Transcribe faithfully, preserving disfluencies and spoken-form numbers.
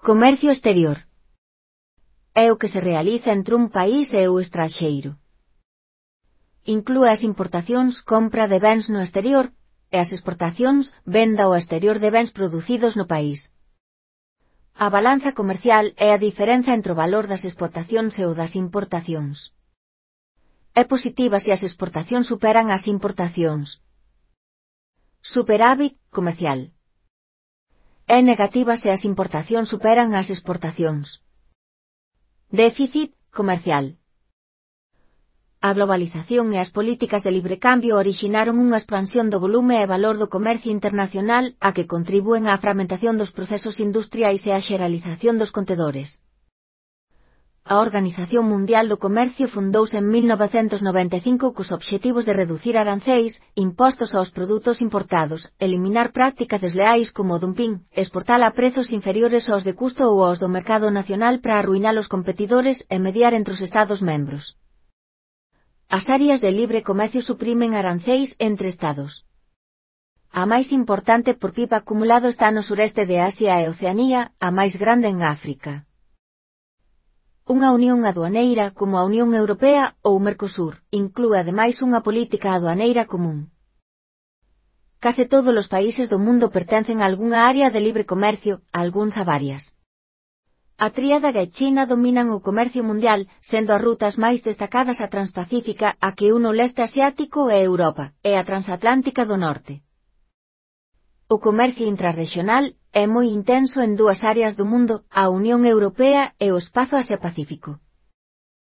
Comercio exterior. É o que se realiza entre un país e o estranxeiro. Inclúe as importacións, compra de bens no exterior, e as exportacións, venda ao exterior de bens producidos no país. A balanza comercial é a diferenza entre o valor das exportacións e o das importacións. É positiva se as exportacións superan as importacións. Superávit comercial. É negativa se as importacións superan as exportacións. Déficit comercial. A globalización e as políticas de librecambio orixinaron unha expansión do volume e valor do comercio internacional a que contribúen á fragmentación dos procesos industriais e á xeralización dos contedores. A Organización Mundial do Comercio fundouse en mil novecentos noventa e cinco cos obxectivos de reducir aranceis, impostos aos produtos importados, eliminar prácticas desleais como o dumping, exportar a prezos inferiores aos de custo ou aos do mercado nacional para arruinar os competidores e mediar entre os Estados membros. As áreas de libre comercio suprimen aranceis entre Estados. A máis importante por P I B acumulado está no sureste de Asia e Oceanía, a máis grande en África. Unha unión aduaneira como a Unión Europea ou Mercosur inclúe ademais unha política aduaneira común. Case todos os países do mundo pertencen a algunha área de libre comercio, algúns a varias. A tríada e China dominan o comercio mundial, sendo as rutas máis destacadas a Transpacífica, a que une o leste asiático e Europa, e a Transatlántica do norte. O comercio intrarrexional é moi intenso en dúas áreas do mundo, a Unión Europea e o espazo Asia-Pacífico.